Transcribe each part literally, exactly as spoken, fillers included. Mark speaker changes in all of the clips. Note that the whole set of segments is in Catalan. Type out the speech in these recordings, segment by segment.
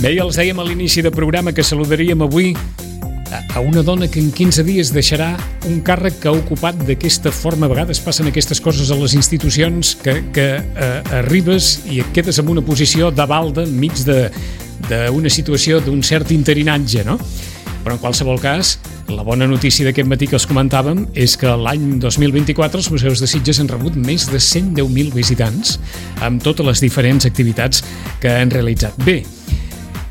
Speaker 1: Bé, ja els dèiem a l'inici del programa que saludaríem avui a una dona que en quinze dies deixarà un càrrec que ha ocupat d'aquesta forma. A vegades passen aquestes coses a les institucions que, que eh, arribes i et quedes en una posició de balda enmig d'una situació d'un cert interinatge, no? Però en qualsevol cas, la bona notícia d'aquest matí que els comentàvem és que l'any dos mil vint-i-quatre els museus de Sitges han rebut més de cent deu mil visitants amb totes les diferents activitats que han realitzat. Bé,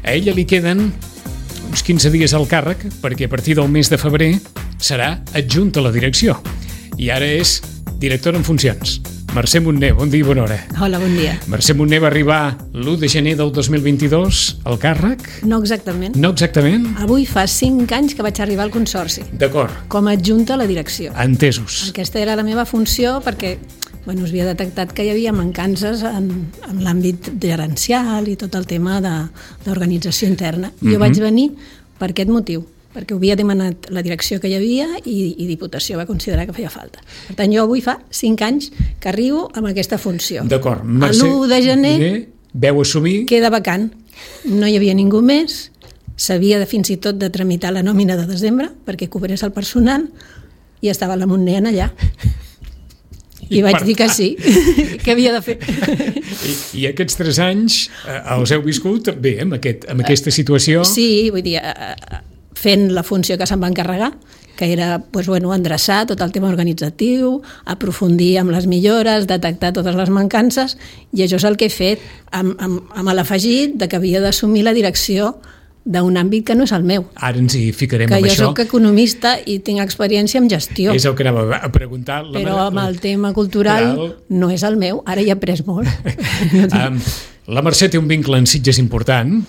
Speaker 1: a ella li queden uns quinze dies al càrrec perquè a partir del mes de febrer serà adjunta a la direcció i ara és directora en funcions. Mercè Montner, bon dia i bona hora.
Speaker 2: Hola, bon dia.
Speaker 1: Mercè Montner va arribar l'u de gener del dos mil vint-i-dos al càrrec?
Speaker 2: No exactament.
Speaker 1: No exactament?
Speaker 2: Avui fa cinc anys que vaig arribar al Consorci.
Speaker 1: D'acord.
Speaker 2: Com a adjunta a la direcció.
Speaker 1: Entesos.
Speaker 2: Aquesta era la meva funció perquè bueno, es havia detectat que hi havia mancances en, en l'àmbit gerencial i tot el tema d'organització interna. Mm-hmm. Jo vaig venir per aquest motiu, perquè ho havia demanat la direcció que hi havia i, i Diputació va considerar que feia falta. Per tant, jo avui fa cinc anys que arribo amb aquesta funció.
Speaker 1: D'acord.
Speaker 2: l'u de gener
Speaker 1: veu assumir...
Speaker 2: queda vacant. No hi havia ningú més, s'havia de fins i tot de tramitar la nòmina de desembre perquè cobrés el personal i estava la Montner allà. I, I vaig dir que sí, que havia de fer.
Speaker 1: I, i aquests tres anys eh, els heu viscut bé, amb, aquest, amb aquesta situació?
Speaker 2: Sí, vull dir, eh, fent la funció que se'm va encarregar, que era pues, bueno, endreçar tot el tema organitzatiu, aprofundir amb les millores, detectar totes les mancances, i això és el que he fet, amb, amb, amb l'afegit de que havia d'assumir la direcció d'un àmbit que no és el meu.
Speaker 1: Ara ens hi ficarem
Speaker 2: que
Speaker 1: amb
Speaker 2: això. Que
Speaker 1: això.
Speaker 2: jo soc economista i tinc experiència en gestió.
Speaker 1: És el que anava a preguntar. La
Speaker 2: però amb el
Speaker 1: la...
Speaker 2: tema cultural Cultural. no és el meu. Ara hi he après molt.
Speaker 1: um, la Mercè té un vincle en Sitges important.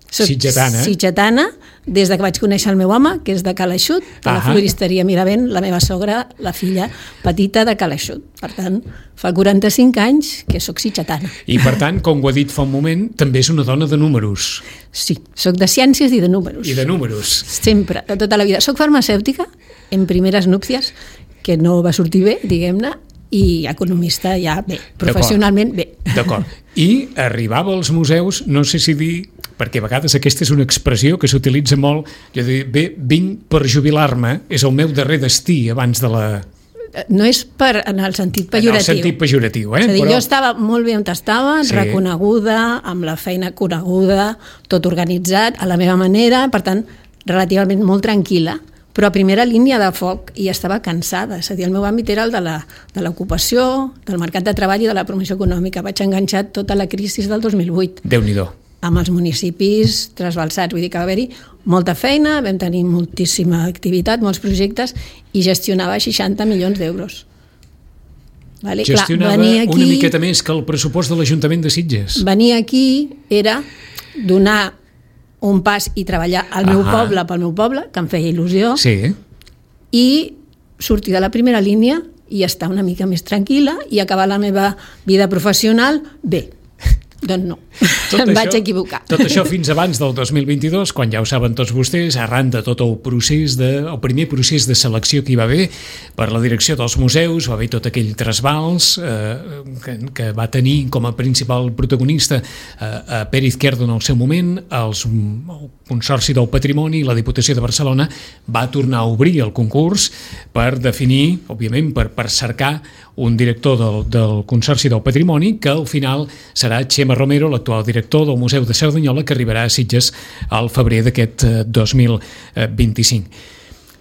Speaker 2: Soc
Speaker 1: sitgetana.
Speaker 2: Sitgetana, des de que vaig conèixer el meu home, que és de Cal Eixut, de la floristeria Miravent, la meva sogra, la filla petita de Cal Eixut. Per tant, fa quaranta-cinc anys que sóc sitgetana.
Speaker 1: I per tant, com ho ha dit fa un moment, també és una dona de números.
Speaker 2: Sí, sóc de ciències i de números.
Speaker 1: I de números.
Speaker 2: Sempre, de tota la vida. Soc farmacèutica, en primeres núpcies, que no va sortir bé, diguem-ne, i economista ja bé, professionalment bé.
Speaker 1: D'acord. I arribava als museus, no sé si dir, perquè a vegades aquesta és una expressió que s'utilitza molt, jo dic, bé, vinc per jubilar-me, és el meu darrer destí abans de la...
Speaker 2: No és per, en el sentit pejoratiu.
Speaker 1: En el sentit pejoratiu, eh?
Speaker 2: És a dir,
Speaker 1: Però...
Speaker 2: jo estava molt bé on estava, sí. reconeguda, amb la feina coneguda, tot organitzat, a la meva manera, per tant, relativament molt tranquil·la, però a primera línia de foc i estava cansada. És a dir, el meu àmbit era el de l'ocupació, del mercat de treball i de la promoció econòmica. Vaig enganxar tota la crisi del dos mil vuit.
Speaker 1: Déu-n'hi-do.
Speaker 2: Amb els municipis trasbalsats. Vull dir que va haver-hi molta feina, vam tenir moltíssima activitat, molts projectes, i gestionava seixanta milions d'euros. Vale?
Speaker 1: Gestionava Clar, aquí, una miqueta més que el pressupost de l'Ajuntament de Sitges.
Speaker 2: Venir aquí era donar un pas i treballar al meu
Speaker 1: Ahà.
Speaker 2: poble, pel meu poble, que em feia il·lusió,
Speaker 1: sí.
Speaker 2: i sortir de la primera línia i estar una mica més tranquil·la i acabar la meva vida professional bé. Doncs no,
Speaker 1: tot
Speaker 2: em
Speaker 1: això,
Speaker 2: vaig equivocar.
Speaker 1: Tot això fins abans del dos mil vint-i-dos, quan ja ho saben tots vostès, arran de tot el procés de, el primer procés de selecció que hi va haver per la direcció dels museus, va haver tot aquell trasbals eh, que, que va tenir com a principal protagonista eh, a Pere Izquierdo en el seu moment, els, el Consorci del Patrimoni i la Diputació de Barcelona va tornar a obrir el concurs per definir, òbviament, per, per cercar un director del, del Consorci del Patrimoni, que al final serà Xema Romero, l'actual director del Museu de Cerdanyola, que arribarà a Sitges al febrer d'aquest dos mil vint-i-cinc.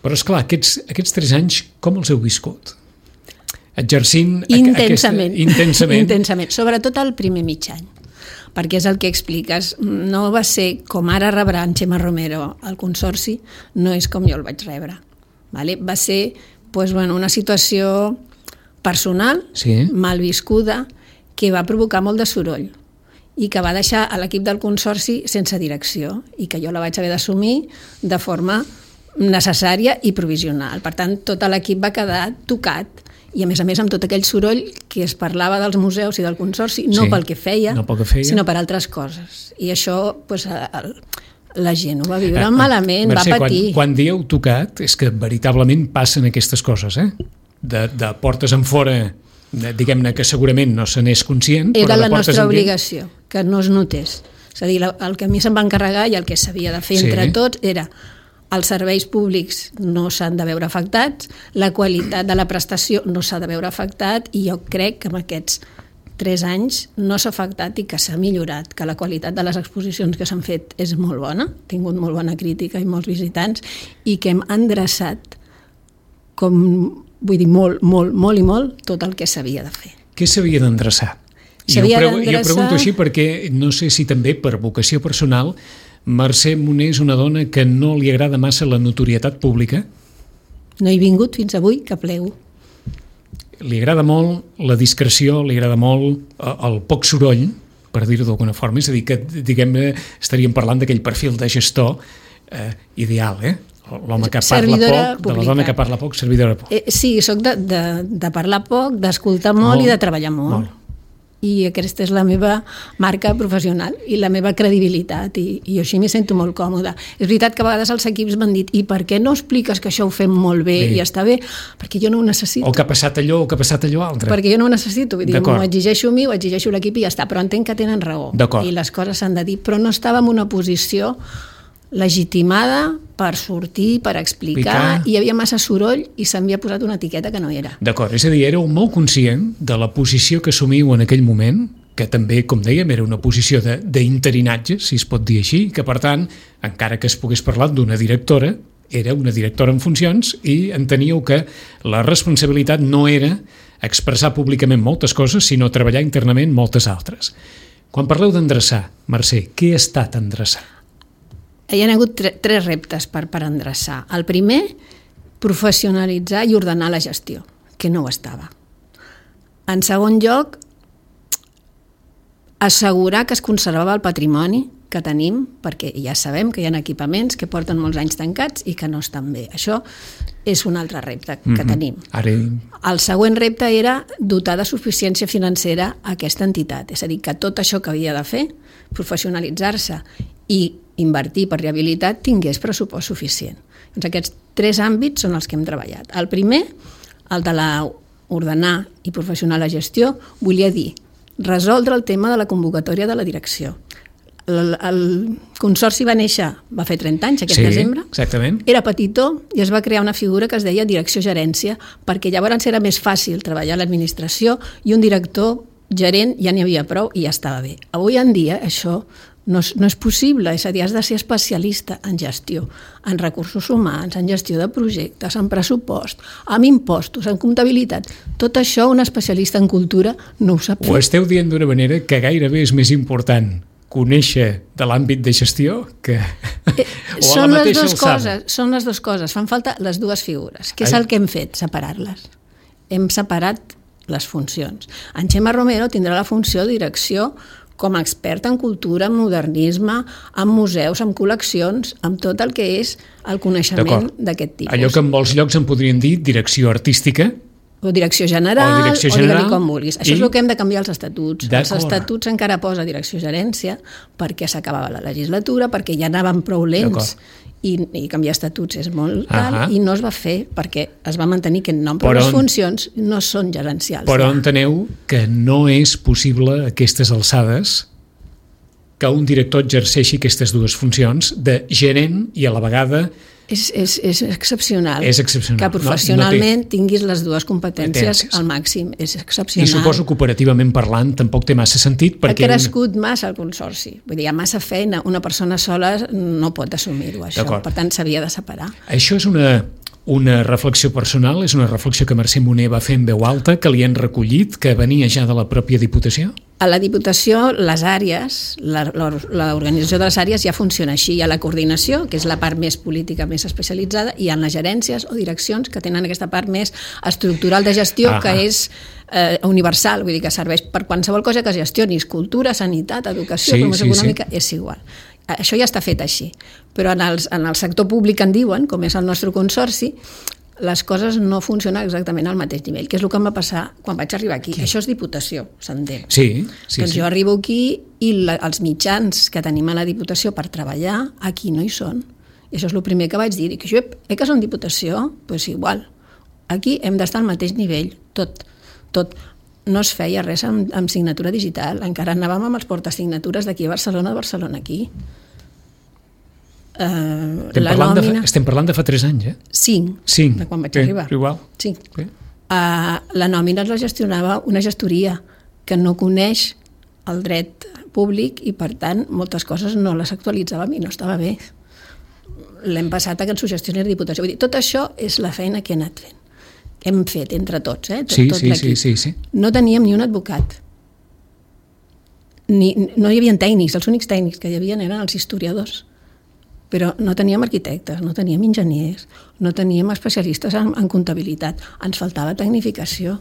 Speaker 1: Però, esclar, aquests, aquests tres anys, com els heu viscut? Exercint
Speaker 2: intensament,
Speaker 1: aquesta... Intensament.
Speaker 2: Intensament, sobretot el primer mig any, perquè és el que expliques. No va ser com ara rebrà en Xema Romero al Consorci, no és com jo el vaig rebre. Vale? Va ser pues, bueno, una situació personal,
Speaker 1: sí.
Speaker 2: mal viscuda, que va provocar molt de soroll i que va deixar a l'equip del Consorci sense direcció i que jo la vaig haver d'assumir de forma necessària i provisional. Per tant, tot l'equip va quedar tocat i, a més a més, amb tot aquell soroll que es parlava dels museus i del Consorci, no
Speaker 1: sí,
Speaker 2: pel que feia,
Speaker 1: no pel que feia,
Speaker 2: sinó per altres coses. I això, pues, el, la gent ho va viure malament,
Speaker 1: Mercè,
Speaker 2: va patir.
Speaker 1: Quan, quan dieu tocat, és que veritablement passen aquestes coses, eh? De, de portes en fora, diguem-ne que segurament no se n'és conscient.
Speaker 2: Era
Speaker 1: però
Speaker 2: la nostra
Speaker 1: en
Speaker 2: obligació, que no es notés. És a dir, el que a mi se'm va encarregar i el que s'havia de fer entre sí. tots era els serveis públics no s'han de veure afectats, la qualitat de la prestació no s'ha de veure afectat i jo crec que en aquests tres anys no s'ha afectat i que s'ha millorat, que la qualitat de les exposicions que s'han fet és molt bona, ha tingut molt bona crítica i molts visitants, i que hem endreçat, com vull dir, molt, molt, molt i molt, tot el que s'havia de fer.
Speaker 1: Què s'havia d'endreçar? Jo, pregu jo pregunto així perquè no sé si també per vocació personal Mercè Moner és una dona que no li agrada massa la notorietat pública?
Speaker 2: No he vingut fins avui, que plego.
Speaker 1: Li agrada molt la discreció, li agrada molt el poc soroll, per dir-ho d'alguna forma, és a dir, que diguem-ne estaríem parlant d'aquell perfil de gestor eh, ideal, eh? L'home que parla poc, pública. De la dona que parla poc, servidora pública.
Speaker 2: Eh, sí, soc de, de, de parlar poc, d'escoltar molt, molt i de treballar molt. molt. I aquesta és la meva marca professional i la meva credibilitat i, i jo així m'hi sento molt còmoda. És veritat que a vegades els equips m'han dit i per què no expliques que això ho fem molt bé, bé. i està bé? Perquè jo no ho necessito.
Speaker 1: O que ha passat allò o que ha passat allò altre.
Speaker 2: Perquè jo no ho necessito, vull dir, m'ho exigeixo a mi, ho exigeixo a l'equip i ja està, però entenc que tenen raó i les coses s'han de dir, però no estava en una posició legitimada per sortir, per explicar, Picar. i hi havia massa soroll i s'havia posat una etiqueta que no era.
Speaker 1: D'acord, és a dir, éreu molt conscient de la posició que assumiu en aquell moment, que també, com dèiem, era una posició d'interinatge, si es pot dir així, que per tant, encara que es pogués parlar d'una directora, era una directora en funcions i enteníeu que la responsabilitat no era expressar públicament moltes coses, sinó treballar internament moltes altres. Quan parleu d'endreçar, Mercè, què ha estat endreçar?
Speaker 2: Hi ha hagut tre tres reptes per, per endreçar. El primer, professionalitzar i ordenar la gestió, que no ho estava. En segon lloc, assegurar que es conservava el patrimoni que tenim, perquè ja sabem que hi ha equipaments que porten molts anys tancats i que no estan bé. Això és un altre repte que mm-hmm. tenim.
Speaker 1: Ara...
Speaker 2: El següent repte era dotar de suficiència financera a aquesta entitat, és a dir, que tot això que havia de fer, professionalitzar-se i invertir per rehabilitat, tingués pressupost suficient. Doncs aquests tres àmbits són els que hem treballat. El primer, el de la ordenar i professional la gestió, volia dir resoldre el tema de la convocatòria de la direcció. El, el consorci va néixer, va fer trenta anys aquest
Speaker 1: sí,
Speaker 2: desembre,
Speaker 1: exactament.
Speaker 2: Era petitó i es va crear una figura que es deia direcció-gerència, perquè llavors era més fàcil treballar a l'administració i un director gerent ja n'hi havia prou i ja estava bé. Avui en dia això no és, no és possible, és a dir, has de ser especialista en gestió, en recursos humans, en gestió de projectes, en pressupost, en impostos, en comptabilitat. Tot això un especialista en cultura no ho sap fer.
Speaker 1: Ho esteu dient d'una manera que gairebé és més important conèixer de l'àmbit de gestió que
Speaker 2: eh, o a la mateixa alçada. Són les dues coses, fan falta les dues figures. Què és el que hem fet? Separar-les. Hem separat les funcions. En Xema Romero tindrà la funció de direcció com a expert en cultura, en modernisme, en museus, en col·leccions, amb tot el que és el coneixement d'aquest tipus.
Speaker 1: Allò que en molts llocs en podrien dir direcció artística,
Speaker 2: o direcció general, o, direcció general, o digue-li com vulguis. Això
Speaker 1: i...
Speaker 2: és el que hem de canviar als estatuts. Els estatuts encara posa direcció gerència perquè s'acabava la legislatura, perquè ja anaven prou lents i, i canviar estatuts és molt cal, uh-huh. i no es va fer perquè es va mantenir aquest nom, però, però les funcions no són gerencials.
Speaker 1: Però
Speaker 2: ja.
Speaker 1: enteneu que no és possible a aquestes alçades que un director exerceixi aquestes dues funcions de gerent i a la vegada
Speaker 2: És, és, és excepcional.
Speaker 1: És excepcional.
Speaker 2: Que professionalment no, no té... tinguis les dues competències al màxim. És excepcional.
Speaker 1: I suposo que operativament parlant tampoc té massa sentit perquè...
Speaker 2: Ha crescut una... massa el consorci. Vull dir, hi ha massa feina. Una persona sola no pot assumir-ho, això. Per tant, s'havia de separar.
Speaker 1: Això és una... Una reflexió personal, és una reflexió que Mercè Moner va fer en veu alta, que li han recollit, que venia ja de la pròpia Diputació?
Speaker 2: A la Diputació, les àrees, l'organització de les àrees ja funciona així. Hi ha la coordinació, que és la part més política, més especialitzada, i hi ha les gerències o direccions que tenen aquesta part més estructural de gestió, ah, que és eh, universal, vull dir que serveix per qualsevol cosa que es gestionis, cultura, sanitat, educació, sí, promoció sí, econòmica, sí. És igual. Això ja està fet així, però en, els, en el sector públic en diuen, com és el nostre consorci, les coses no funcionen exactament al mateix nivell, que és el que em va passar quan vaig arribar aquí. Aquí. Això és Diputació, s'entén.
Speaker 1: Sí, sí,
Speaker 2: doncs
Speaker 1: sí.
Speaker 2: Jo arribo aquí i la, els mitjans que tenim a la Diputació per treballar, aquí no hi són. I això és el primer que vaig dir. I que jo, eh que són Diputació? Doncs pues igual. Aquí hem d'estar al mateix nivell, tot, tot. no es feia res amb, amb signatura digital. Encara anàvem amb els portasignatures d'aquí a Barcelona, de Barcelona aquí. Uh,
Speaker 1: estem,
Speaker 2: la
Speaker 1: parlant
Speaker 2: nòmina...
Speaker 1: de, estem parlant de fa tres anys, eh?
Speaker 2: Cinc,
Speaker 1: Cinc.
Speaker 2: de quan vaig
Speaker 1: sí,
Speaker 2: arribar.
Speaker 1: Igual.
Speaker 2: Cinc.
Speaker 1: Sí.
Speaker 2: Uh, la nòmina la gestionava una gestoria que no coneix el dret públic i, per tant, moltes coses no les actualitzàvem i no estava bé. L'hem passat a que ens ho gestioni la Diputació. Vull dir, tot això és la feina que he anat fent. Hem fet entre tots, eh? Tot,
Speaker 1: sí,
Speaker 2: tot
Speaker 1: sí,
Speaker 2: l'equip.
Speaker 1: sí, sí, sí.
Speaker 2: No teníem ni un advocat. Ni, no hi havia tècnics, els únics tècnics que hi havia eren els historiadors. Però no teníem arquitectes, no teníem enginyers, no teníem especialistes en, en comptabilitat. Ens faltava tecnificació.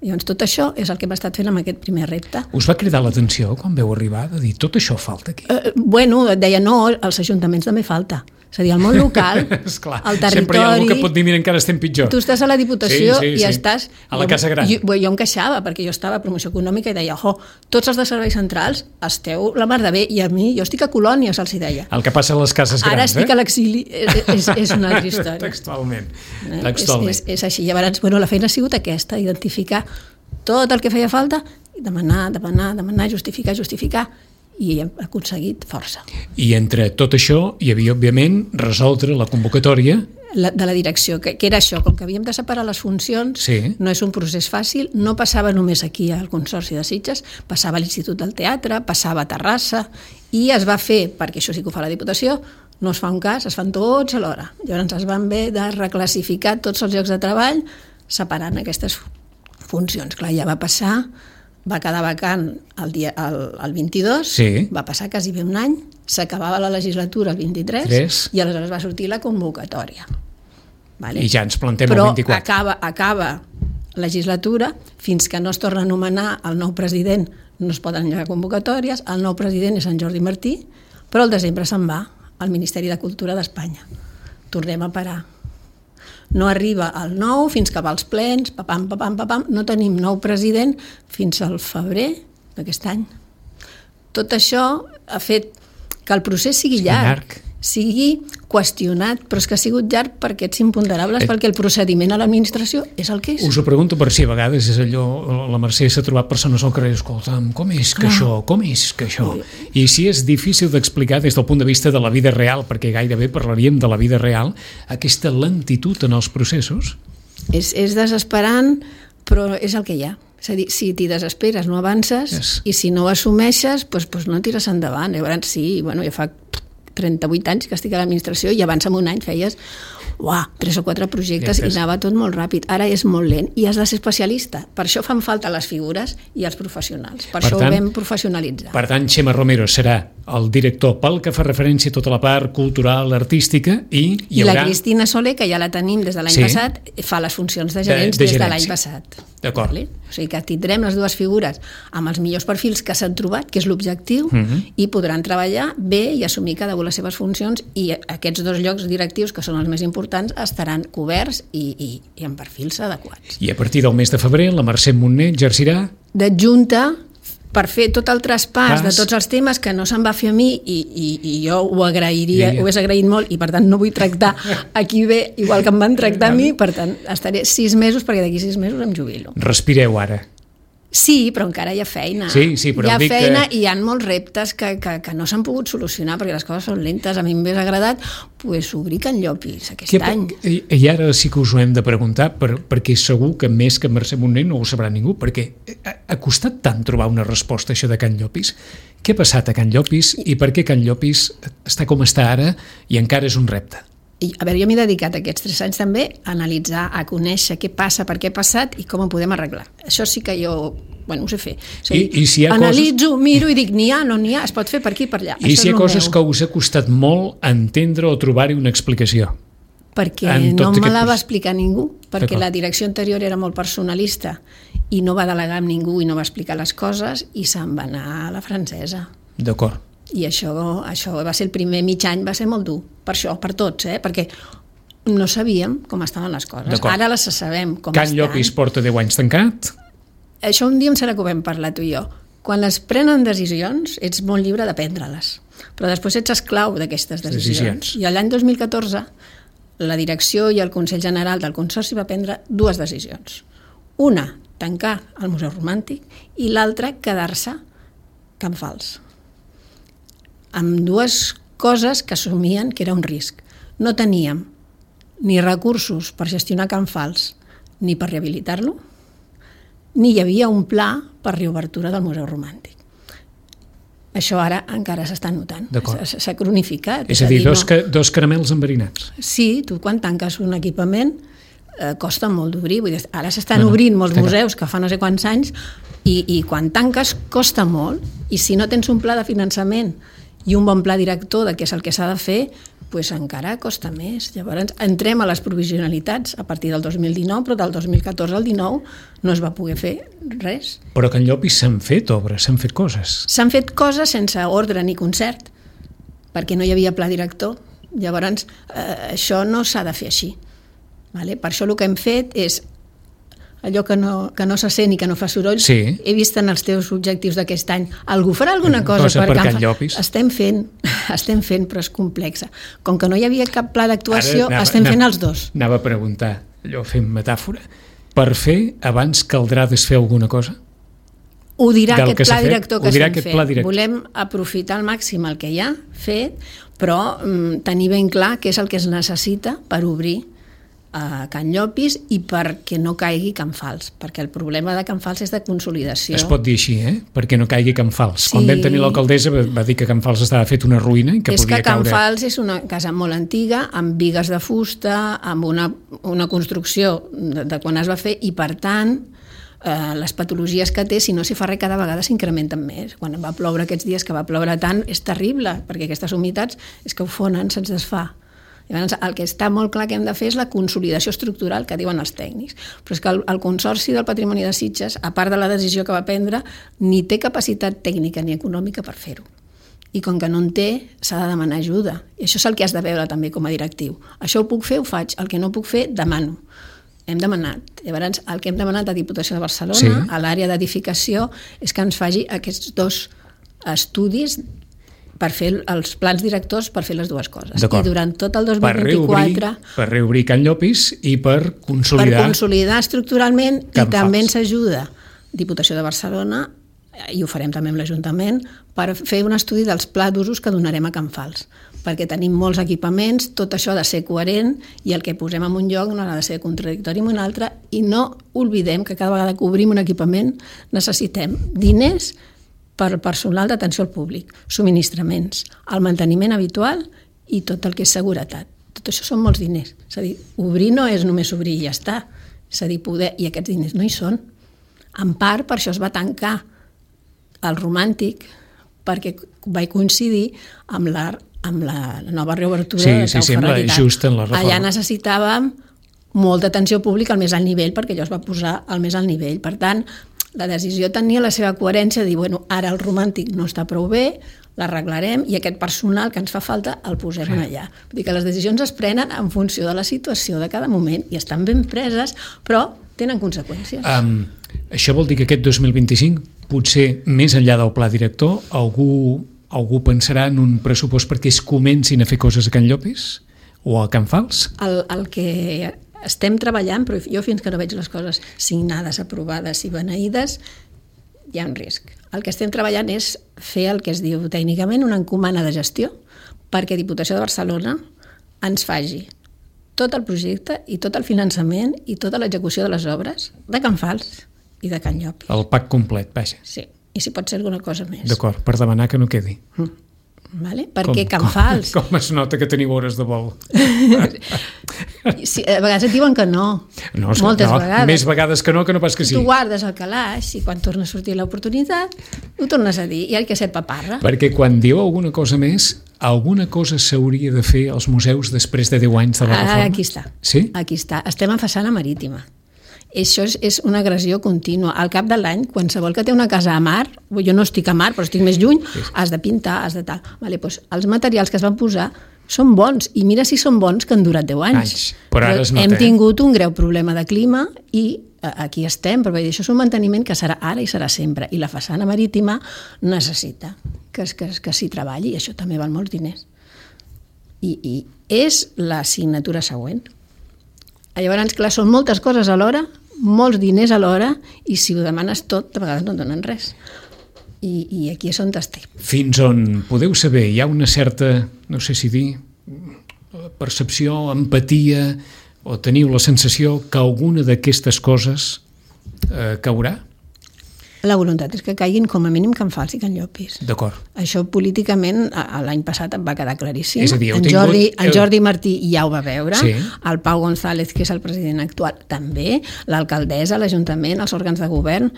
Speaker 2: Llavors, tot això és el que hem estat fent amb aquest primer repte.
Speaker 1: Us va cridar l'atenció quan veu arribar de dir tot això falta aquí?
Speaker 2: Eh, bueno, et deia no, als ajuntaments també falta. És a dir, el món local,
Speaker 1: Esclar,
Speaker 2: el territori...
Speaker 1: sempre hi ha algú que pot dir, mira, encara estem pitjor.
Speaker 2: Tu estàs a la Diputació
Speaker 1: sí, sí,
Speaker 2: i
Speaker 1: sí.
Speaker 2: estàs...
Speaker 1: A la Casa Gran.
Speaker 2: Jo, jo em queixava, perquè jo estava a Promoció Econòmica i deia, jo, tots els de serveis centrals esteu la mar de bé, i a mi, jo estic a Colònia, se'ls deia.
Speaker 1: El que passa a les cases grans,
Speaker 2: Ara estic
Speaker 1: eh?
Speaker 2: a l'exili, és, és, és una altra història.
Speaker 1: Textualment.
Speaker 2: Eh?
Speaker 1: Textualment.
Speaker 2: És, és, és així. Llavors, bueno, la feina ha sigut aquesta, identificar tot el que feia falta, i demanar, demanar, demanar, justificar, justificar, i hem aconseguit força.
Speaker 1: I entre tot això hi havia, òbviament, resoldre la convocatòria
Speaker 2: la, de la direcció, que, que era això, com que havíem de separar les funcions,
Speaker 1: sí.
Speaker 2: No és un procés fàcil, no passava només aquí al Consorci de Sitges, passava a l'Institut del Teatre, passava a Terrassa, i es va fer, perquè això sí que ho fa la Diputació, no es fa un cas, es fan tots alhora. Llavors es van haver de reclassificar tots els llocs de treball separant aquestes funcions. Clar, ja va passar, va quedar vacant el, dia, el, el vint-i-dos,
Speaker 1: sí.
Speaker 2: Va passar quasi bé un any, s'acabava la legislatura el vint-i-tres
Speaker 1: Tres.
Speaker 2: I aleshores va sortir la convocatòria. Vale?
Speaker 1: I ja ens plantem
Speaker 2: Però
Speaker 1: el vint-i-quatre.
Speaker 2: acaba, acaba legislatura, fins que no es torna a anomenar el nou president no es poden engegar convocatòries, el nou president és en Jordi Martí, però al desembre se'n va al Ministeri de Cultura d'Espanya. Tornem a parar. No arriba el nou fins que va als plens, papam, papam, papam, no tenim nou president fins al febrer d'aquest any. Tot això ha fet que el procés sigui llarg, llarg, sigui qüestionat, però és que ha sigut llarg per aquests imponderables, eh, perquè el procediment a l'administració és el que és.
Speaker 1: Us ho pregunto per si a vegades és allò, la Mercè s'ha trobat persones al carrer, escolta'm, com és que Clar. això, com és que això? I si és difícil d'explicar des del punt de vista de la vida real, perquè gairebé parlaríem de la vida real, aquesta lentitud en els processos?
Speaker 2: És, és desesperant, però és el que hi ha. És a dir, si t'hi desesperes no avances, yes. I si no ho assumeixes, doncs, doncs no tires endavant. Llavors sí, bueno, ja fa trenta-vuit anys que estic a l'administració i abans en un any feies uah, tres o quatre projectes i anava tot molt ràpid. Ara és molt lent i has de ser especialista. Per això fan falta les figures i els professionals. Per, per això tant, ho vam professionalitzar.
Speaker 1: Per tant, Xema Romero serà el director pel que fa referència a tota la part cultural, artística i hi haurà...
Speaker 2: I la Cristina Soler, que ja la tenim des de l'any sí. passat, fa les funcions de gerents de, de des de l'any passat.
Speaker 1: D'acord.
Speaker 2: Vale? O sigui que tindrem les dues figures amb els millors perfils que s'han trobat, que és l'objectiu, uh-huh. i podran treballar bé i assumir cada una les seves funcions i aquests dos llocs directius, que són els més importants, estaran coberts i, i, i amb perfils adequats.
Speaker 1: I a partir del mes de febrer la Mercè Montner exercirà...
Speaker 2: D'adjunta per fer tot el traspàs
Speaker 1: Pas.
Speaker 2: de tots els temes que no se'n va fer a mi i, i, i jo ho agrairia, ho hagués agraït molt i per tant no vull tractar aquí bé igual que em van tractar a mi, per tant estaré sis mesos perquè d'aquí sis mesos em jubilo.
Speaker 1: Respireu ara.
Speaker 2: Sí, però encara hi ha feina.
Speaker 1: Sí, sí, però
Speaker 2: hi ha feina
Speaker 1: que...
Speaker 2: i hi ha molts reptes que, que, que no s'han pogut solucionar perquè les coses són lentes. A mi m'hagués agradat pues, obrir Can Llopis aquest
Speaker 1: que,
Speaker 2: any.
Speaker 1: I ara sí que us ho hem de preguntar per, perquè segur que més que Mercè Montner no ho sabrà ningú, perquè ha, ha costat tant trobar una resposta a això de Can Llopis. Què ha passat a Can Llopis i per què Can Llopis està com està ara i encara és un repte?
Speaker 2: I, a veure, jo m'he dedicat aquests tres anys també a analitzar, a conèixer què passa, per què ha passat i com ho podem arreglar. Això sí que jo, bueno, ho sé fer. O sigui,
Speaker 1: I, i si hi ha
Speaker 2: analitzo,
Speaker 1: coses...
Speaker 2: miro i dic, n'hi ha, no n'hi ha, es pot fer per aquí, per allà.
Speaker 1: I
Speaker 2: Això
Speaker 1: si hi ha coses
Speaker 2: meu.
Speaker 1: que us ha costat molt entendre o trobar-hi una explicació?
Speaker 2: Perquè no me la va explicar ningú, perquè la direcció anterior era molt personalista i no va delegar amb ningú i no va explicar les coses i se'n va anar a la francesa.
Speaker 1: D'acord.
Speaker 2: I això, això va ser el primer mig any, va ser molt dur, per això, per tots, eh? Perquè no sabíem com estaven les coses. Ara les sabem com
Speaker 1: Can
Speaker 2: estan.
Speaker 1: Can Llopis porta deu anys tancat?
Speaker 2: Això un dia em serà que ho vam parlar tu i jo. Quan es prenen decisions, ets molt lliure de prendre-les, però després ets esclau d'aquestes decisions. decisions. I l'any dos mil catorze, la direcció i el Consell General del Consorci va prendre dues decisions. Una, tancar el Museu Romàntic i l'altre quedar-se Can Fals. Amb dues coses que assumien que era un risc. No teníem ni recursos per gestionar Can Fals ni per rehabilitar-lo, ni hi havia un pla per reobertura del Museu Romàntic. Això ara encara s'està notant, s'ha cronificat.
Speaker 1: És a dir, dos, no... dos caramels enverinats.
Speaker 2: Sí, tu quan tanques un equipament eh, costa molt d'obrir. Ara s'estan no, no, obrint molts museus que fa no sé quants anys i, i quan tanques costa molt, i si no tens un pla de finançament i un bon pla director de què és el que s'ha de fer, pues encara costa més. Llavors entrem a les provisionalitats a partir del dos mil dinou, però del dos mil catorze al dinou no es va poder fer res.
Speaker 1: Però a Can Llopis s'han fet obres, s'han fet coses.
Speaker 2: S'han fet coses sense ordre ni concert, perquè no hi havia pla director. Llavors, eh, això no s'ha de fer així. Vale? Per això el que hem fet és allò que no, que no se sent i que no fa soroll.
Speaker 1: Sí.
Speaker 2: He vist en els teus objectius d'aquest any. Algú farà alguna cosa,
Speaker 1: cosa per,
Speaker 2: per
Speaker 1: Can Llopis?
Speaker 2: Estem fent, estem fent, però és complexa. Com que no hi havia cap pla d'actuació,
Speaker 1: anava,
Speaker 2: estem
Speaker 1: anava,
Speaker 2: fent els dos.
Speaker 1: Anava a preguntar, allò fent metàfora, per fer abans caldrà desfer alguna cosa?
Speaker 2: Ho dirà aquest pla director que estem fent.
Speaker 1: Director.
Speaker 2: Volem aprofitar al màxim el que hi ha fet, però mm, tenir ben clar què és el que es necessita per obrir a Can Llopis i perquè no caigui Can Fals, perquè el problema de Can Fals és de consolidació.
Speaker 1: Es pot dir així, eh? Perquè no caigui Can Fals. Sí. Quan vam tenir l'alcaldessa va dir que Can Fals estava fet una ruïna i que
Speaker 2: és
Speaker 1: podia
Speaker 2: que Can
Speaker 1: caure...
Speaker 2: Fals és una casa molt antiga, amb bigues de fusta, amb una, una construcció de, de quan es va fer, i per tant eh, les patologies que té, si no s'hi fa res, cada vegada s'incrementen més. Quan va ploure aquests dies que va ploure tant, és terrible, perquè aquestes humitats és que ho fonen, se'ns desfà. Llavors, el que està molt clar que hem de fer és la consolidació estructural que diuen els tècnics. Però és que el, el Consorci del Patrimoni de Sitges, a part de la decisió que va prendre, ni té capacitat tècnica ni econòmica per fer-ho. I com que no en té, s'ha de demanar ajuda. I això és el que has de veure també com a directiu. Això ho puc fer, ho faig. El que no puc fer, demano. Hem demanat. Llavors, el que hem demanat a Diputació de Barcelona, sí, a l'àrea d'edificació, és que ens faci aquests dos estudis per fer els plans directors per fer les dues coses. I durant tot el dos mil vint-i-quatre...
Speaker 1: Per reobrir, per reobrir Can Llopis i per consolidar...
Speaker 2: Per consolidar estructuralment, i també ens ajuda Diputació de Barcelona, i ho farem també amb l'Ajuntament, per fer un estudi dels pla d'usos que donarem a Can Fals, perquè tenim molts equipaments, tot això ha de ser coherent, i el que posem en un lloc no ha de ser contradictori en un altre, i no oblidem que cada vegada que obrim un equipament necessitem diners per personal d'atenció al públic, subministraments, el manteniment habitual i tot el que és seguretat. Tot això són molts diners. És a dir, obrir no és només obrir i ja està. És a dir, poder... I aquests diners no hi són. En part, per això es va tancar el Romàntic, perquè va coincidir amb la, amb la nova reobertura
Speaker 1: sí,
Speaker 2: de Cau
Speaker 1: sí,
Speaker 2: Ferret i tal.
Speaker 1: Just en la reforma.
Speaker 2: Allà necessitàvem molta atenció pública al més alt nivell, perquè allò es va posar al més alt nivell. Per tant, la decisió tenia la seva coherència de dir, bueno, ara el Romàntic no està prou bé, l'arreglarem i aquest personal que ens fa falta el posem sí. allà. Vull dir que les decisions es prenen en funció de la situació de cada moment i estan ben preses, però tenen conseqüències.
Speaker 1: Um, això vol dir que aquest dos mil vint-i-cinc, potser més enllà del pla director, algú, algú pensarà en un pressupost perquè es comencin a fer coses a Can Llopis o a Can Fals?
Speaker 2: El, el que... Estem treballant, però jo fins que no veig les coses signades, aprovades i beneïdes, hi ha un risc. El que estem treballant és fer el que es diu tècnicament una encomana de gestió perquè Diputació de Barcelona ens faci tot el projecte i tot el finançament i tota l'execució de les obres de Can Fals i de Can Llopis.
Speaker 1: El pack complet, vaja.
Speaker 2: Sí, i si pot ser alguna cosa més.
Speaker 1: D'acord, per demanar que no quedi.
Speaker 2: Mm. Vale? Perquè com, Can Fals...
Speaker 1: Com, com es nota que teniu hores de vol?
Speaker 2: Sí, a vegades et diuen que no,
Speaker 1: no
Speaker 2: moltes
Speaker 1: no,
Speaker 2: vegades.
Speaker 1: Més vegades que no, que no pas que sí.
Speaker 2: Tu guardes el calaix i quan torna a sortir l'oportunitat ho tornes a dir i hay que ser paparra.
Speaker 1: Perquè quan diu alguna cosa més, alguna cosa s'hauria de fer als museus després de deu anys de la reforma?
Speaker 2: Ah, aquí està.
Speaker 1: Sí?
Speaker 2: Aquí està. Estem en façana marítima. Això és, és una agressió contínua. Al cap de l'any, qualsevol que té una casa a mar, jo no estic a mar, però estic més lluny, sí. has de pintar, has de tal. Vale, doncs els materials que es van posar són bons, i mira si són bons que han durat deu anys. anys
Speaker 1: però ara es nota,
Speaker 2: hem tingut un greu problema de clima i aquí estem, però això és un manteniment que serà ara i serà sempre, i la façana marítima necessita que, que, que s'hi treballi, i això també val molts diners. I, i és l'assignatura següent. Llavors, clar, són moltes coses alhora, molts diners alhora i si ho demanes tot, de vegades no et donen res. I, i aquí és on estem.
Speaker 1: Fins on podeu saber, hi ha una certa, no sé si dir, percepció, empatia, o teniu la sensació que alguna d'aquestes coses eh, caurà?
Speaker 2: La voluntat és que caiguin com a mínim Can Fals i Can Llopis.
Speaker 1: D'acord.
Speaker 2: Això políticament l'any passat va quedar claríssim.
Speaker 1: És a dir,
Speaker 2: en,
Speaker 1: tingut...
Speaker 2: Jordi, en Jordi Martí ja ho va veure,
Speaker 1: sí.
Speaker 2: El Pau González, que és el president actual, també, l'alcaldessa, l'Ajuntament, els òrgans de govern,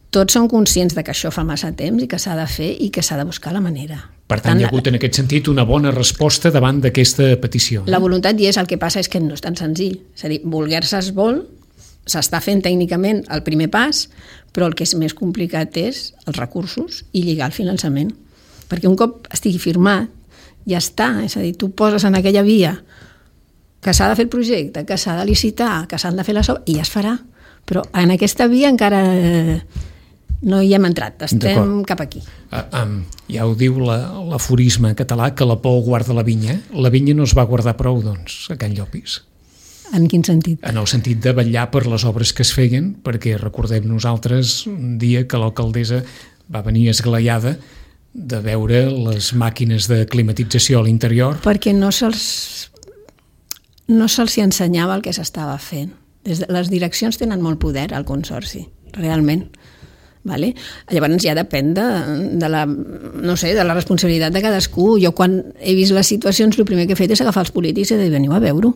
Speaker 2: tots són conscients de que això fa massa temps i que s'ha de fer i que s'ha de buscar la manera.
Speaker 1: Per tant, hi ha hagut en aquest sentit una bona resposta davant d'aquesta petició.
Speaker 2: La voluntat hi és, el que passa és que no és tan senzill. És a dir, voler-se es vol, s'està fent tècnicament el primer pas, però el que és més complicat és els recursos i lligar el finançament. Perquè un cop estigui firmat, ja està. És a dir, tu poses en aquella via que s'ha de fer el projecte, que s'ha de licitar, que s'han de fer les obres, i ja es farà. Però en aquesta via encara no hi hem entrat, estem cap aquí.
Speaker 1: Uh, um, ja ho diu l'aforisme català, que la por guarda la vinya. La vinya no es va guardar prou, doncs, a Can Llopis.
Speaker 2: En quin sentit?
Speaker 1: En el sentit de vetllar per les obres que es feien, perquè recordem nosaltres un dia que l'alcaldessa va venir esglaiada de veure les màquines de climatització a l'interior.
Speaker 2: Perquè no se'ls no se'ls ensenyava el que s'estava fent. Des de, les direccions tenen molt poder al consorci, realment. Vale? Llavors ja depèn de, de, la, no sé, de la responsabilitat de cadascú. Jo quan he vist les situacions el primer que he fet és agafar els polítics i dir veniu a veure-ho.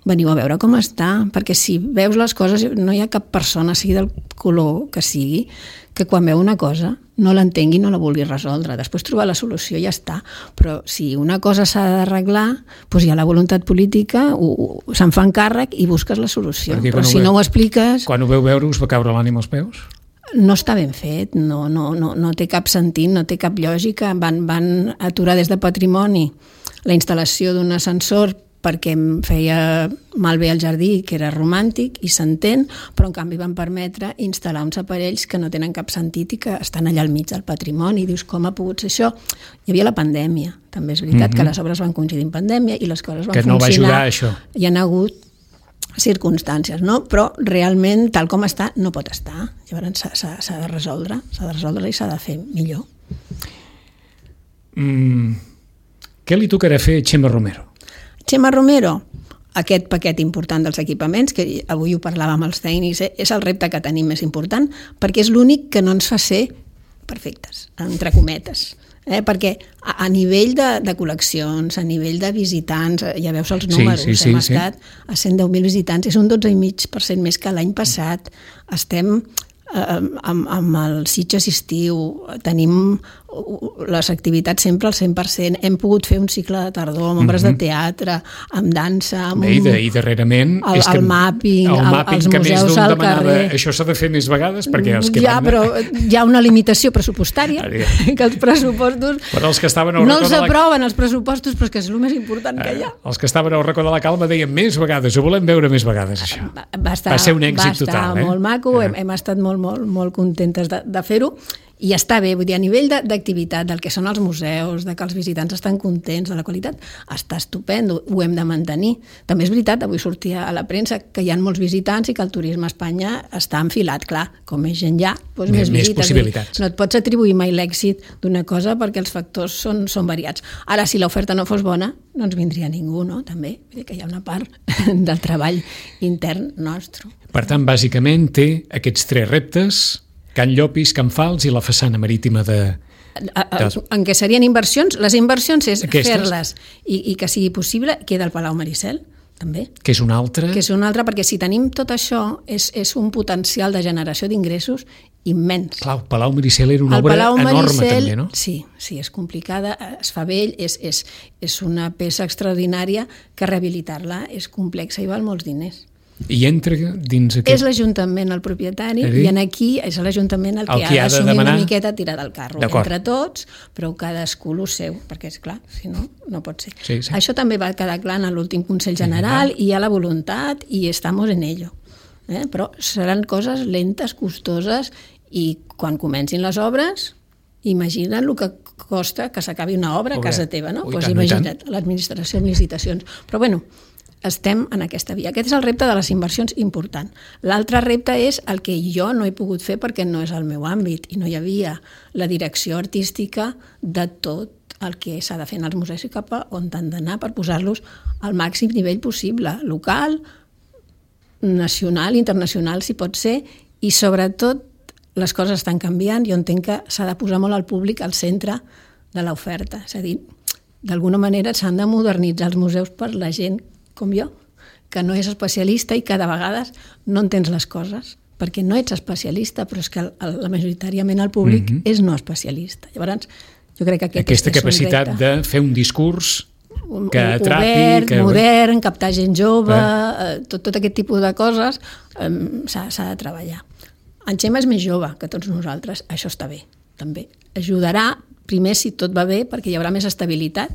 Speaker 2: Veniu a veure com està, perquè si veus les coses no hi ha cap persona, sigui del color que sigui, que quan veu una cosa no l'entengui, no la vulgui resoldre. Després trobar la solució i ja està. Però si una cosa s'ha d'arreglar, doncs hi ha la voluntat política, ho, ho, se'n fan càrrec i busques la solució. Perquè però si veu, no ho expliques...
Speaker 1: Quan ho veu veure us va caure l'ànima als peus?
Speaker 2: No està ben fet, no, no, no, no té cap sentit, no té cap lògica. Van, van aturar des de Patrimoni la instal·lació d'un ascensor perquè em feia malbé el jardí, que era romàntic, i s'entén, però en canvi van permetre instal·lar uns aparells que no tenen cap sentit i que estan allà al mig del patrimoni. I dius, com ha pogut ser això? Hi havia la pandèmia, també és veritat mm-hmm. que les obres van coincidir en pandèmia i les coses van
Speaker 1: que
Speaker 2: funcionar.
Speaker 1: Que no va ajudar a això.
Speaker 2: Hi ha hagut circumstàncies, no? Però realment, tal com està, no pot estar. Llavors s'ha de resoldre, s'ha de resoldre i s'ha de fer millor.
Speaker 1: Mm, què li tocarà fer a Txema Romero?
Speaker 2: Txema Romero, aquest paquet important dels equipaments, que avui ho parlàvem amb els tècnics, és el repte que tenim més important, perquè és l'únic que no ens fa ser perfectes, entre cometes. Eh? Perquè a, a nivell de, de col·leccions, a nivell de visitants, ja veus els números, sí, sí, hem sí, estat sí. a cent deu mil visitants, és un dotze coma cinc per cent més que l'any passat. Estem eh, amb, amb el Sitges estiu, tenim les activitats sempre al cent per cent, hem pogut fer un cicle de tardor amb obres mm-hmm. de teatre, amb dansa, amb
Speaker 1: Bé, i, de, i darrerament
Speaker 2: el,
Speaker 1: és que
Speaker 2: el mapping,
Speaker 1: el mapping
Speaker 2: els
Speaker 1: que
Speaker 2: museus al carrer.
Speaker 1: Això s'ha de fer més vegades perquè els que
Speaker 2: ja,
Speaker 1: van...
Speaker 2: però hi ha una limitació pressupostària que els pressupostos
Speaker 1: però els que estaven al
Speaker 2: no
Speaker 1: racó
Speaker 2: els
Speaker 1: de la...
Speaker 2: aproven els pressupostos, però és que és el més important que hi ha.
Speaker 1: Els que estaven al racó de la calma deien més vegades, ho volem veure més vegades això.
Speaker 2: Va, va, estar,
Speaker 1: va ser un èxit
Speaker 2: total. Va estar
Speaker 1: total, eh?
Speaker 2: molt maco, eh? hem, hem estat molt, molt, molt contentes de, de fer-ho. I està bé, vull dir, a nivell d'activitat, del que són els museus, de que els visitants estan contents de la qualitat, està estupendo, ho hem de mantenir. També és veritat, avui sortia a la premsa que hi ha molts visitants i que el turisme a Espanya està enfilat, clar, com més gent hi ha, doncs més,
Speaker 1: més
Speaker 2: visites.
Speaker 1: possibilitats.
Speaker 2: No et pots atribuir mai l'èxit d'una cosa perquè els factors són, són variats. Ara, si l'oferta no fos bona, no ens vindria ningú, no? També, vull dir que hi ha una part del treball intern nostre.
Speaker 1: Per tant, bàsicament té aquests tres reptes: Can Llopis, Can Fals i la façana marítima de... de...
Speaker 2: En què serien inversions? Les inversions és
Speaker 1: Aquestes?
Speaker 2: fer-les i, i que sigui possible. Queda el Palau Maricel, també.
Speaker 1: Que és una altra...
Speaker 2: Que és una altra, perquè si tenim tot això, és, és un potencial de generació d'ingressos immens.
Speaker 1: Clar, el Palau Maricel era una
Speaker 2: el
Speaker 1: obra
Speaker 2: Palau
Speaker 1: enorme,
Speaker 2: Maricel,
Speaker 1: també, no?
Speaker 2: Sí, sí, és complicada, es fa vell, és, és, és una peça extraordinària que rehabilitar-la és complexa i val molts diners.
Speaker 1: I entra dins aquest...
Speaker 2: És l'Ajuntament el propietari i en aquí és l'Ajuntament el que, el que ha d'assumir demanar... una miqueta tirar del carro entre tots, però cadascú el seu, perquè és clar, si no, no pot ser.
Speaker 1: Sí, sí.
Speaker 2: Això també va quedar clar en l'últim Consell General i hi ha la voluntat i estamos en ello. Eh? Però seran coses lentes, costoses i quan comencin les obres, imagina't el que costa que s'acabi una obra a casa teva, no? Doncs pues imagina't, l'administració amb licitacions. Però bueno, estem en aquesta via. Aquest és el repte de les inversions important. L'altre repte és el que jo no he pogut fer perquè no és el meu àmbit i no hi havia la direcció artística de tot el que s'ha de fer en els museus i cap a on han d'anar per posar-los al màxim nivell possible, local, nacional, internacional, si pot ser, i sobretot les coses estan canviant i jo entenc que s'ha de posar molt al públic al centre de l'oferta. És a dir, d'alguna manera s'han de modernitzar els museus per la gent com jo, que no és especialista i que de vegades no entens les coses, perquè no ets especialista, però és que el, el, la majoritàriament el públic mm-hmm. és no especialista. Llavors, jo crec que aquest
Speaker 1: Aquesta
Speaker 2: és
Speaker 1: capacitat
Speaker 2: un repte.
Speaker 1: de fer un discurs que atrapi...
Speaker 2: Obert,
Speaker 1: que...
Speaker 2: modern, captar gent jove, eh. tot, tot aquest tipus de coses eh, s'ha, s'ha de treballar. En Xema és més jove que tots nosaltres, això està bé, també. Ajudarà, primer, si tot va bé, perquè hi haurà més estabilitat,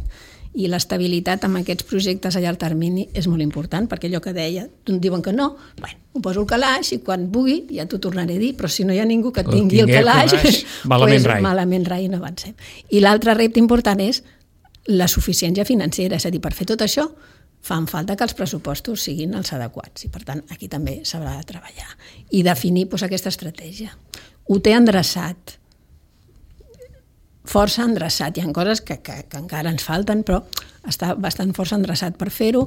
Speaker 2: i l'estabilitat amb aquests projectes a llarg termini és molt important, perquè allò que deia, em diuen que no, bueno, ho poso al calaix i quan pugui ja t'ho tornaré a dir, però si no hi ha ningú que tingui el calaix, el calaix
Speaker 1: malament,
Speaker 2: pues,
Speaker 1: rai.
Speaker 2: malament rai no avancem. I l'altre repte important és la suficiència financera, és a dir, per fer tot això fan falta que els pressupostos siguin els adequats i per tant aquí també s'haurà de treballar i definir doncs, aquesta estratègia. Ho té endreçat, força endreçat, hi ha coses que, que, que encara ens falten, però està bastant força endreçat per fer-ho,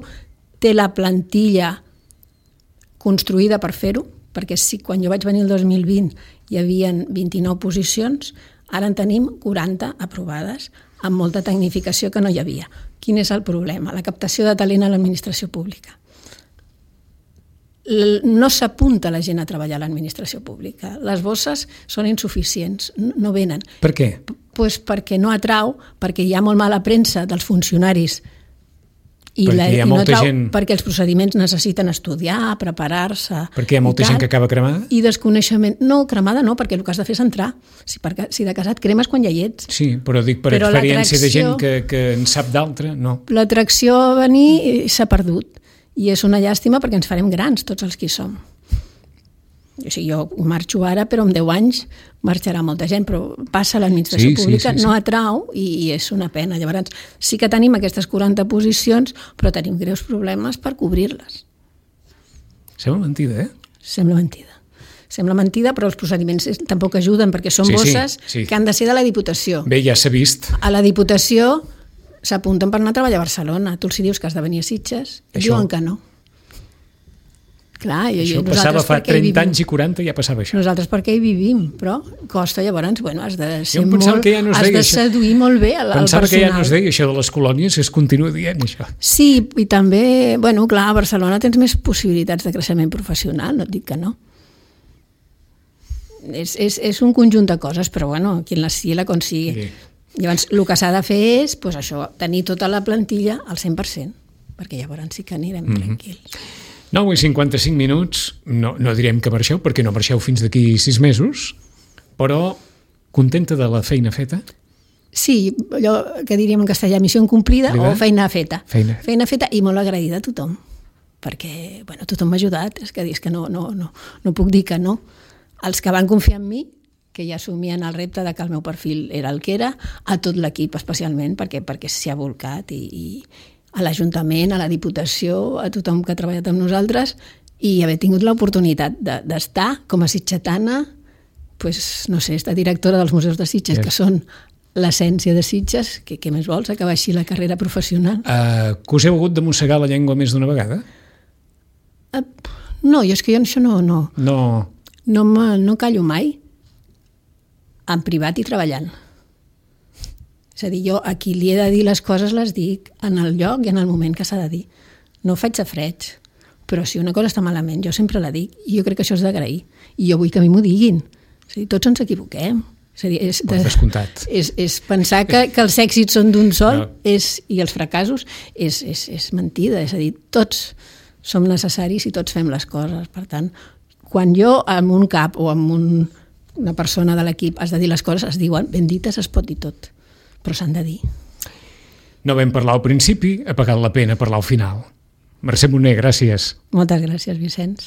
Speaker 2: té la plantilla construïda per fer-ho, perquè si quan jo vaig venir el dos mil vint hi havia vint-i-nou posicions, ara en tenim quaranta aprovades, amb molta tecnificació que no hi havia. Quin és el problema? La captació de talent a l'administració pública. No s'apunta la gent a treballar a l'administració pública. Les bosses són insuficients, no venen.
Speaker 1: Per què?
Speaker 2: Pues perquè no atrau, perquè hi ha molt mala premsa dels funcionaris i,
Speaker 1: perquè
Speaker 2: la,
Speaker 1: hi ha
Speaker 2: i no
Speaker 1: molta
Speaker 2: atrau,
Speaker 1: gent...
Speaker 2: perquè els procediments necessiten estudiar, preparar-se...
Speaker 1: Perquè hi ha molta gent que acaba cremada?
Speaker 2: I desconeixement... No, cremada no, perquè el que has de fer és entrar. Si, perquè, si de casat cremes quan ja hi ets.
Speaker 1: Sí, però dic per
Speaker 2: però
Speaker 1: experiència de gent que, que en sap d'altra, no.
Speaker 2: L'atracció a venir s'ha perdut. I és una llàstima perquè ens farem grans, tots els que hi som. O sigui, jo marxo ara, però en deu anys marxarà molta gent, però passa a l'administració
Speaker 1: sí,
Speaker 2: pública,
Speaker 1: sí, sí, sí.
Speaker 2: no atrau i, i és una pena. Llavors, sí que tenim aquestes quaranta posicions, però tenim greus problemes per cobrir-les.
Speaker 1: Sembla mentida, eh?
Speaker 2: Sembla mentida. Sembla mentida, però els procediments tampoc ajuden, perquè són
Speaker 1: sí,
Speaker 2: bosses
Speaker 1: sí, sí.
Speaker 2: que han de ser de la Diputació.
Speaker 1: Bé, ja s'ha vist.
Speaker 2: A la Diputació s'apunten per anar a treballar a Barcelona. Tu els dius que has de venir a Sitges, i diuen que no. Clar, jo,
Speaker 1: això
Speaker 2: jo,
Speaker 1: passava fa trenta anys i
Speaker 2: vivim.
Speaker 1: quaranta ja passava això.
Speaker 2: Nosaltres perquè hi vivim, però costa llavors, bueno, has de ser
Speaker 1: jo
Speaker 2: molt,
Speaker 1: que ja no
Speaker 2: has de
Speaker 1: això.
Speaker 2: seduir molt bé al, al
Speaker 1: pensava
Speaker 2: personal.
Speaker 1: que ja no es deia això de les colònies, es continua dient això.
Speaker 2: Sí, i també, bueno, clar, a Barcelona tens més possibilitats de creixement professional, no et dic que no. És, és, és un conjunt de coses, però bueno, qui la sigui la consigui. Sí. Llavors, el que s'ha de fer és, pues això, tenir tota la plantilla al cent per cent, perquè llavors sí que anirem mm-hmm. tranquils.
Speaker 1: nou i cinquanta-cinc minuts, no, no direm que marxeu, perquè no marxeu fins d'aquí sis mesos, però contenta de la feina feta?
Speaker 2: Sí, allò que diríem en castellà, missió incomplida o feina feta.
Speaker 1: Feina.
Speaker 2: Feina feta i molt agraïda a tothom, perquè bueno, tothom m'ha ajudat, és que, és que no, no, no, no puc dir que no. Els que van confiar en mi, que ja assumien el repte de que el meu perfil era el que era, a tot l'equip especialment, perquè, perquè s'hi ha volcat i... i a l'Ajuntament, a la Diputació, a tothom que ha treballat amb nosaltres i haver tingut l'oportunitat de, d'estar com a sitgetana, pues, no sé, estar directora dels museus de Sitges, yes. que són l'essència de Sitges, que què més vols, acabar així la carrera professional.
Speaker 1: Uh, que us heu hagut de mossegar la llengua més d'una vegada?
Speaker 2: Uh, no, jo és que jo això no... No,
Speaker 1: no.
Speaker 2: no, no callo mai, en privat i treballant. És a dir, jo a qui li he de dir les coses les dic en el lloc i en el moment que s'ha de dir. No ho faig a freig, però si una cosa està malament jo sempre la dic i jo crec que això és d'agrair. I jo vull que a mi m'ho diguin. És a dir, tots ens equivoquem. És a dir, és, de, és, és pensar que, que els èxits són d'un sol no. és, i els fracassos és, és, és mentida. És a dir, tots som necessaris i tots fem les coses. Per tant, quan jo amb un cap o amb un, una persona de l'equip has de dir les coses, es diuen ben dites, es pot dir tot. Però s'han de dir.
Speaker 1: No vam parlar al principi, ha pagat la pena parlar al final. Mercè Moner, gràcies.
Speaker 2: Moltes gràcies, Vicenç.